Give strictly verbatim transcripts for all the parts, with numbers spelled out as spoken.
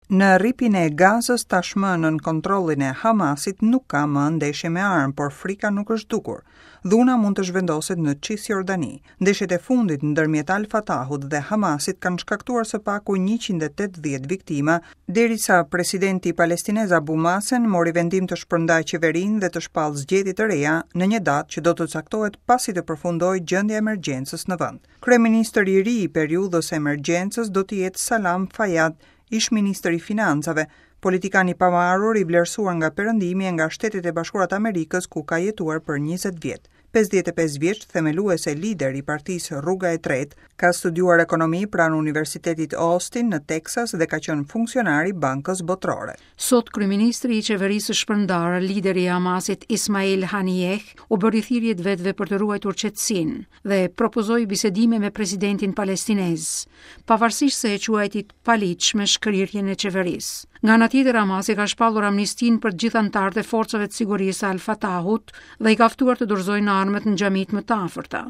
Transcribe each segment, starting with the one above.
Në Rripin e Gazës, tashmë nën kontrollin e Hamasit, nuk ka më ndeshje me armë, por frika nuk është zhdukur. Dhuna mund të zhvendoset në Cisjordani. Ndeshjet e fundit ndërmjet Al-Fatahut dhe Hamasit kanë shkaktuar së paku njëqind e tetëdhjetë viktima, derisa presidenti palestinez Abu Mazen mori vendim të shpërndajë qeverinë dhe të shpallë zgjedhje të reja në një datë që do të caktohet pasi të përfundojë gjendja e emergjencës në vend. Kryeministri i ri i periudhës së emergjencës do të jetë Salam Fayyad, ish ministër i financave, politikan i pavarur i vlerësuar nga Perëndimi e nga Shtetet e Bashkuara të Amerikës, ku ka jetuar për njëzet vjet. pesëdhjetë e pesë vjeç, themelues e lider i partisë Rruga e Tretë, ka studiuar ekonomi pranë Universitetit Austin në Texas dhe ka qenë funksionar i Bankës Botërore. Sot kryeministri i qeverisë së shpërndarë, lideri i Hamasit Ismail Haniyeh, u bëri thirrje të vetëve për të ruajtur qetësinë dhe propozoi bisedime me presidentin palestinez, pavarësisht se e quajti të paligjshme shkrirjen e qeverisë. Nga ana tjetër, Hamasi ka shpallur amnistinë për të gjithë anëtarët e forcave të sigurisë Al-Fatahut dhe i ka ftuar të dorëzojnë armët në xhamitë më të afërta,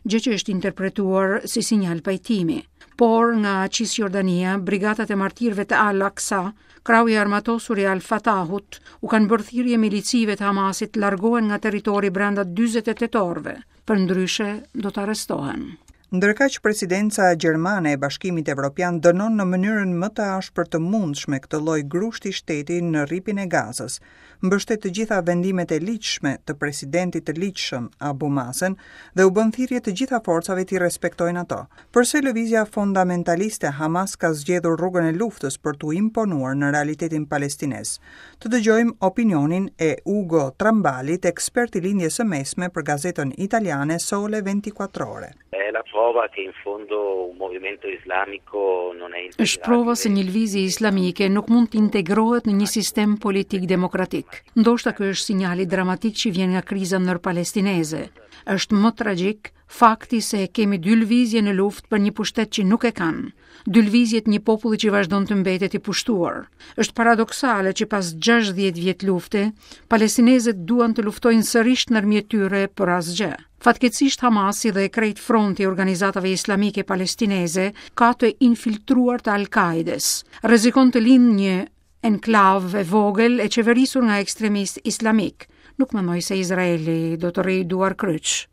gjë që është interpretuar si sinjal pajtimi. Por nga Cisjordania, brigatat e martirëve të Al-Aqsa, krahu i armatosur i Al-Fatahut, u kanë bërë thirrje milicive të Hamasit të largohen nga territori brenda dyzet e tetë orëve, përndryshe do të arrestohen. Ndërkaq, presidenca gjermane e Bashkimit Evropian dënon në mënyrën më të ashpër të mundshme këtë lloj grushti shteti në Rripin e Gazës, mbështet të gjitha vendimet e ligjshme të presidentit të ligjshëm Abu Mazen dhe u bën thirrje të gjitha forcave t'i respektojnë ato. Përse lëvizja fundamentaliste Hamas ka zgjedhur rrugën e luftës për t'u imponuar në realitetin palestinez? Të dëgjojmë opinionin e Ugo Trambalit, ekspert i Lindjes së Mesme për gazetën italiane Sole ventiquattro Ore. È la prova che in fondo un movimento islamico non è Është prova se një lëvizje islamike nuk mund të integrohet në një sistem politik demokratik. Ndoshta ky është sinjali dramatik që vjen nga kriza ndërpalestineze. Është më tragjik fakti se kemi dy lëvizje në luftë për një pushtet që nuk e kanë. Dy lëvizje të një populli që vazhdon të mbetet i pushtuar. Është paradoksale që pas gjashtëdhjetë vjet lufte, palestinezët duan të luftojnë sërish ndërmjet tyre për asgjë. Fatkeqësisht, Hamasi dhe krejt fronti i organizatave islamike palestineze ka të infiltruar të Al-Qaedes. Rrezikon të lind një enklavë e vogël e qeverisur nga ekstremistë islamik. Nuk mendoj se Izraeli do të rrijë duar kryq.